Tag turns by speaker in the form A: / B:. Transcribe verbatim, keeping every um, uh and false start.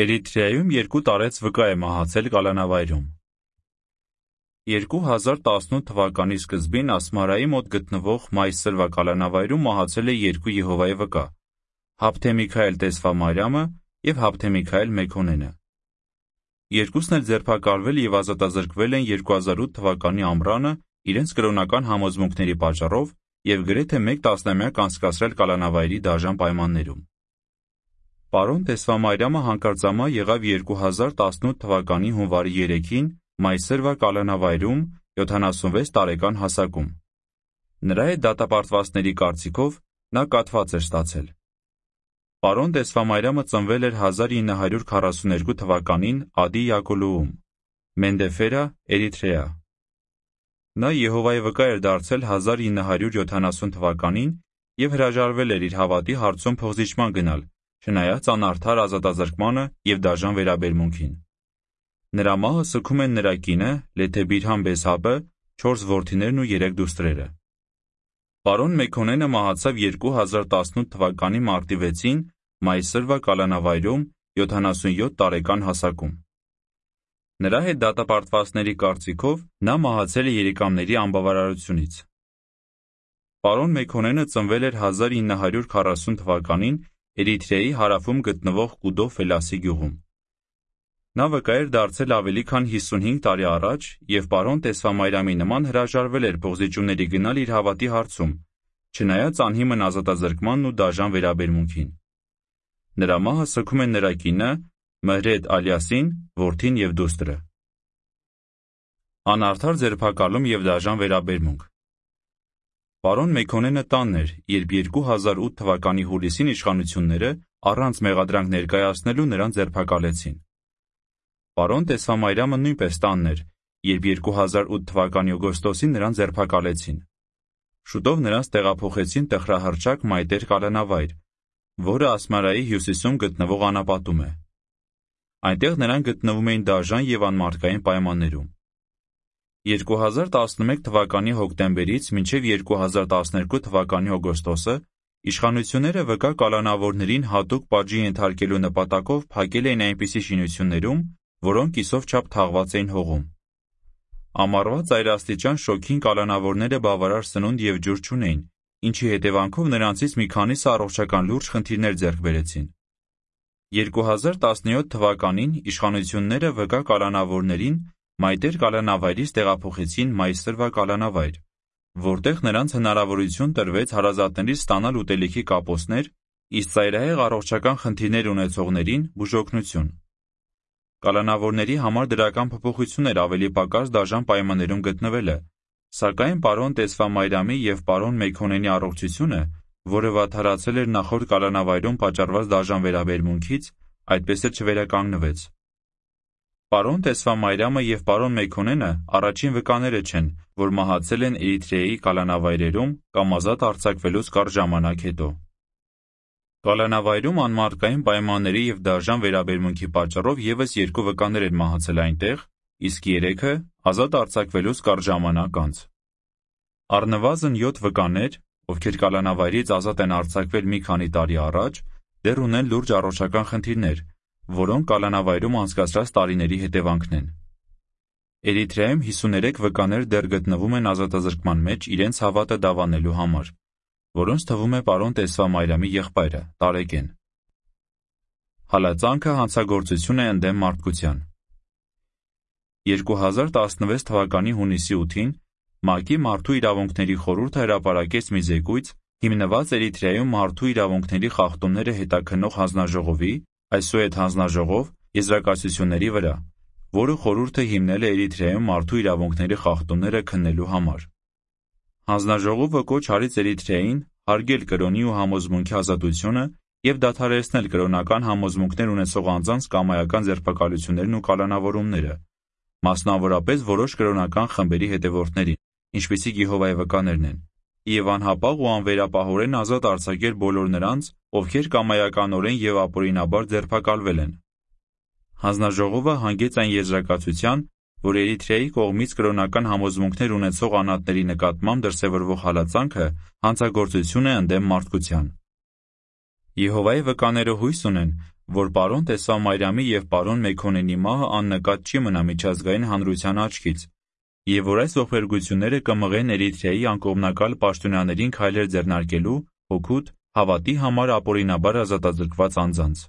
A: Էրիթրեայում երկու տարեց վկա է մահացել կալանավայրում։ երկու հազար տասնութ թվականի սկզբին Ասմարայի մոտ գտնվող Մայսրվա կալանավայրում մահացել է երկու Եհովայի վկա՝ Հաբթե Միքայել Տեսվամարյամը և Հաբթե Միքայել Մեքոնենը։ Երկուսն էլ ձերբակալվել և ազատազրկվել են երկու հազար ութ թվականի ամռանը իրենց կրոնական համոզմունքների պատճառով և գրեթե մեկ տասնամյակ անցկացրել կալանավայրի դաժան պայմաններում։ Պարոն Տեսվամարյամը հանկարծամահ եղավ երկու հազար տասնութ թվականի հունվարի երեքին Մայսրվա կալանավայրում յոթանասունվեց տարեկան հասակում։ Նրա հետ դատապարտվածների կարծիքով նա կաթված էր ստացել։ Պարոն Տեսվամարյամը ծնվել էր հազար ինը հարյուր քառասուներկու թվականին Ադի Յակոլոում, Մենդեֆերա, Էրիթրեա։ Նա Եհովայի վկա էր դարձել հազար ինը հարյուր յոթանասուն թվականին և հրաժարվել էր իր հավատի հարցում փոխզիջման գնալ, չնայած անարդար ազատազրկմանը և դաժան վերաբերմունքին։ Նրա մահը սգում են նրա կինը Լեթե Բիրհամ Բեսհաբը, չորս որդիներն ու երեք դուստրերը։ Պարոն Մեքոնենը մահացավ երկու հազար տասնութ թվականի մարտի վեցին Մայսրվա կալանավայրում յոթանասունյոթ տարեկան հասակում։ Նրա հետ դատապարտվածների կարծիքով նա մահացել է երիկամների անբավարարությունից։ Պարոն Մեքոնենը ծնվել էր հազար ինը հարյուր քառասուն թվականին Էրիթրեայի հարավում գտնվող Կուդո Ֆելասի գյուղում։ Նա վկա էր դարձել ավելի քան հիսունհինգ տարի առաջ և պարոն Տեսվամարյամի նման հրաժարվել էր փոխզիջումների գնալ իր հավատի հարցում, չնայած անհիմն ազատազրկմանն ու դաժան վերաբերմունքին։ Նրա մահը սգում են նրա կինը Մհրեդ Ալյասին, որդին և դուստրը։ Անարդար ձերբակալում և դաժան վերաբերմունք։ Պարոն Մեքոնենը տանն էր, երբ երկու հազար ութ թվականի հուլիսին իշխանությունները առանց մեղադրանք ներկայացնելու նրան ձերբակալեցին։ Պարոն Տեսվամարյամը նույնպես տանն էր, երբ երկու հազար ութ թվականի օգոստոսին նրան ձերբակալեցին։ Շուտով նրանց տեղափոխեցին տխրահռչակ Մայտեր կալանավայր, որը Ասմարայի հյուսիսում գտնվող անապատում է։ Այնտեղ նրանք գտնվում էին դաժան և անմարդկային պայմաններում։ երկու հազար տասնմեկ թվականի հոկտեմբերից մինչև երկու հազար տասներկու թվականի օգոստոսը իշխանությունները վկա կալանավորներին հատուկ պատժի ենթարկելու նպատակով փակել էին այնպիսի շինություններում, որոնք կիսով չափ թաղված էին հողում։ Ամառվա ծայրաստիճան շոգին կալանավորները բավարար սնունդ և ջուր չունեին, ինչի հետևանքով նրանցից մի քանիսը առողջական լուրջ խնդիրներ ձեռք բերեցին։ երկու հազար տասնյոթ թվականին իշխանությունները վկա կալանավորներին Մայտեր կալանավայրից տեղափոխեցին Մայսրվա կալանավայր, որտեղ նրանց հնարավորություն տրվեց հարազատներից ստանալ ուտելիքի կապոցներ, իսկ ծայրահեղ առողջական խնդիրներ ունեցողներին՝ բուժօգնություն։ Կալանավորների համար դրական փոփոխություն էր ավելի պակաս դաժան պայմաններում գտնվելը, սակայն պարոն Տեսվամարյամի և պարոն Մեքոնենի առողջությունը, որը վատթարացել էր նախորդ կալանավայրում պատճառված դաժան վերաբերմունքից, այդպես էլ չվերականգնվեց։ Պարոն Տեսվամարյամը և պարոն Մեքոնենը առաջին վկաները չեն, որ մահացել են Էրիթրեայի կալանավայրերում կամ ազատ արձակվելուց կարճ ժամանակ հետո։ Կալանավայրում անմարդկային պայմանների և դաժան վերաբերմունքի պատճառով ևս երկու վկաներ են մահացել այնտեղ, իսկ երեքը ազատ արձակվելուց կարճ ժամանակ անց։ Առնվազն յոթ վկաներ, ովքեր կալանավայրից ազատ են արձակվել մի քանի տարի առաջ, դեռ ունեն լուրջ առողջական խնդիրներ, որոնք կալանավայրում անցկացրած տարիների հետևանքն են։ Էրիթրեայում հիսուներեք վկաներ դեռ գտնվում են ազատազրկման մեջ իրենց հավատը դավանելու համար, որոնց թվում է պարոն Տեսվամարյամի եղբայրը՝ Տարեկեն։ Հալածանքը հանցագործություն է ընդդեմ մարդկության։ երկու հազար տասնվեց թվականի հունիսի ութին ՄԱԿ-ի Մարդու իրավունքների խորհուրդը հրապարակեց մի զեկույց, հիմնված Էրիթրեայում մարդու իրավունքների խախտումները հետաքննող հանձնաժողովի, այսուհետ հանձնաժողով, եզրակացությունների վրա, որը խորհուրդը հիմնել է Էրիթրեայում մարդու իրավունքների խախտումները քննելու համար։ Հանձնաժողովը կոչ արեց Էրիթրեային հարգել կրոնի ու համոզմունքի ազատությունը և դադարեցնել կրոնական համոզմունքներ ունեցող անձանց կամայական ձերբակալություններն ու կալանավորումները, մասնավորապես որոշ կրոնական խմբերի հետևորդներին, ինչպիսիք Եհովայի վկաներն են, և անհապաղ ու անվերապահորեն ազատ արձակել բոլոր նրանց, ովքեր կամայականորեն և ապօրինաբար ձերբակալվել են։ Հանձնաժողովը հանգեց այն եզրակացության, որ Էրիթրեայի կողմից կրոնական համոզմունքներ ունեցող անհատների նկատմամբ դրսևորվող հալածանքը հանցագործություն է ընդդեմ մարդկության։ Եհովայի վկաները հույս ունեն, որ պարոն Տեսավ Մայրամի և պարոն Մեքոնենի մահը աննկատ չի մնա միջազգային հանրության աչքից, և որ այս ողբերգությունները կմղեն Էրիթրեայի անկողմնակալ պաշտոնյաներին քայլեր ձեռնարկելու հօգուտ հավատի համար ապօրինաբար ազատազրկված անձանց։